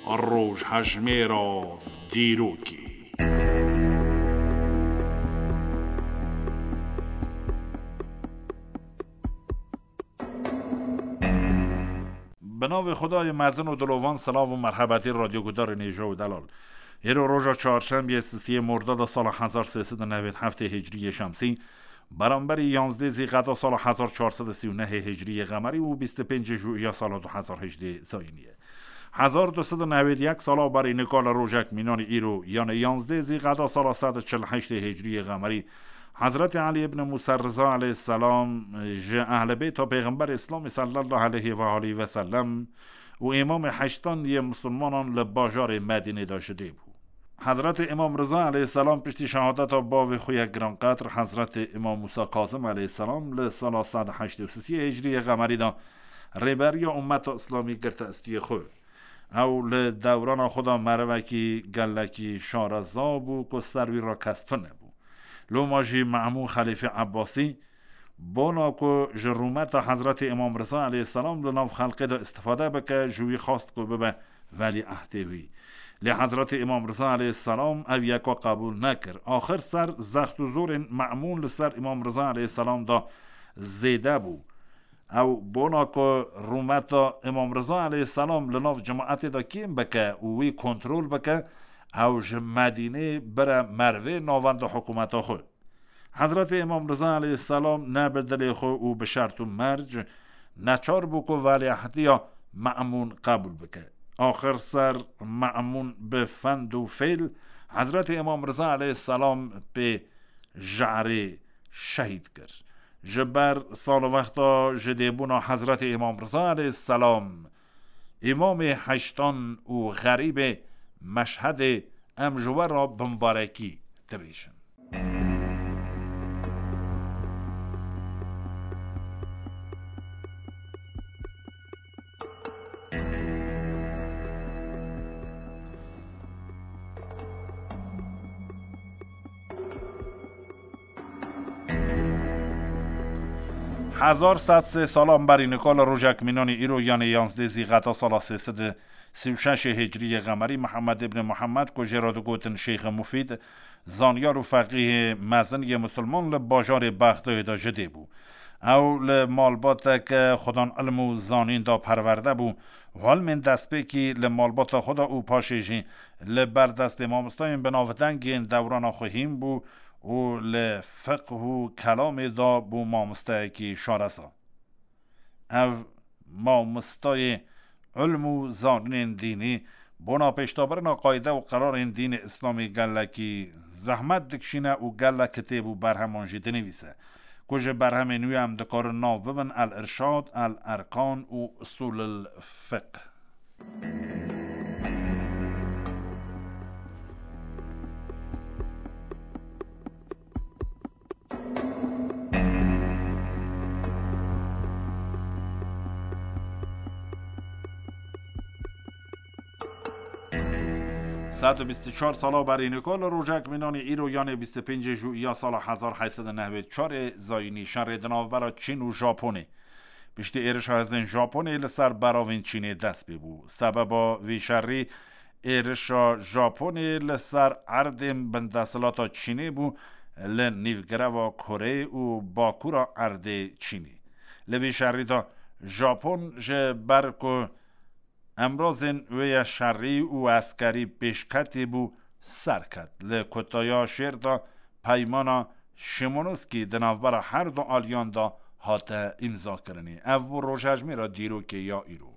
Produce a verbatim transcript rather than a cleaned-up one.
Rojhejmêra dîrokê. Bi navê Xwedayê mezin û dilovan, silav û merhebetî radyogudarên hêja û delal. Îro roja çarşembiyê, sisiyê Mordada sala hezar sê sed û newêd heftê hicriyê şemsî, beramberî yanzdê Zîqeda sala hezar çar sed û sî û nehê hicriyê qemerî û bîst û pêncê Jûiya sala du hezar hejdê zayînî ye. Hezar du sed û newêd yek sala berî nika li rojek mînanî îro, yanê yanzdê Zîqeda sala sed û çil heştê hicriyê qemerî, Hezretî Elî ibn Musa Riza aleyhisselam ji ehle beyta Pêxemberê Îslamê sallallahu aleyhi ve aleyhi ve sellem û îmamê heştan yê misilmanan li bajarê Medînê de ji dê bû. Hezretî Îmam Riza aleyhisselam piştî şehadeta bavê xwe yê giranqedr Hezretî Îmam Musa Kazim aleyhisselam li sala sed heştê û sisiyê hicriyê qemerî de rêberiya ummeta Îslamî girte estiyê xwe. Ew li dewrana xwe de merivekî gelekî şareza bû ku ser wî re kes tune bû. Loma jî Memûn Xelîfê Ebbasî, bona ku ji rûmeta Hezretî Îmam Riza aleyhisselam li nav xelkê de îstifade bike, ji wî xwest ku bibe welîehdê wî. Lê Hezretî Îmam Riza aleyhisselam ev yeka qebûl nekir. Axir ser zext û zorên Memûn li ser Îmam Riza aleyhisselam de zêde bû. Ew bona ku rûmeta Îmam Riza aleyhisselam li nav cemaetê de kêm bike û wî kontrol bike, ew ji Medînê bire mervê navenda hikûmeta xwe. Hezretê Îmam Riza aleyhisselam ne bi dilê xwe û bi şert û merc neçar bû ku welîehdiya Memûn qebûl bike. Axir ser Memûn bi fend û fêl Hezretê Îmam Riza aleyhisselam pê jarê şehîd kir. Ji ber salwexta ji dêbûna Hezretê Îmam Riza aleyhisselam, Îmamê heştan û xerîbê Meşhedê em ji we re bimbarekî dibêjin. Hezar sed sê salan berî nika li rojek mînanî îro, yanê yanzdê Zîqeta sala sê sed û sî û şeş hicrî yê qemerî, Mihemed ibn Mihemed, ku jê re digotin Şêxê Mufîd, zanyar û feqîhê mezin yê misilman, li bajarê Bexdayê de ji dê bû. Ew li malbateke xudan ilm û zanîn de perwerde bû. Ilmên destpêkî li malbata xwe de û paşê jî li ber destê mamostayên binavdeng yên dewrana xwe hîn bû û li fiqh û kelamê de bû mamostayekî şareza. Ev mamostayê ilm û zanînên dînî bona pêşdabirina qayde û qerarên dînê Îslamî gelekî zehmet dikişîne û gelek kitêb û berheman jî dinivîse, ku ji berhemên wî em dikarin nav bibin El Irşad, El Erkan û Usulul Fiqh. Sed û bîst û çar sala berî nika li rojek mînanî îro, yanê bîst û pêncê Jûiya sala hezar heyt sed û newêd çarê zayînî, şerê di navbera Çîn û Japonê piştî êrişa hêzên Japonê li ser beravên Çînê dest pê bû. Sebeba vî şerî êrişa Japonê li ser erdên bindesthilata Çînê bû, li nîvgireva Koreyê û bakûra erdê Çînê. Li vî şerî de Japon ji ber ku emrazên wê ye şerî û eskerî pêşketî bû, ser ket. Li kutaya şêr de peymana Şimonoskî di navbera her du aliyan de hate îmzakirinê. Ev bû rojhejmêra dîrokê ya îro.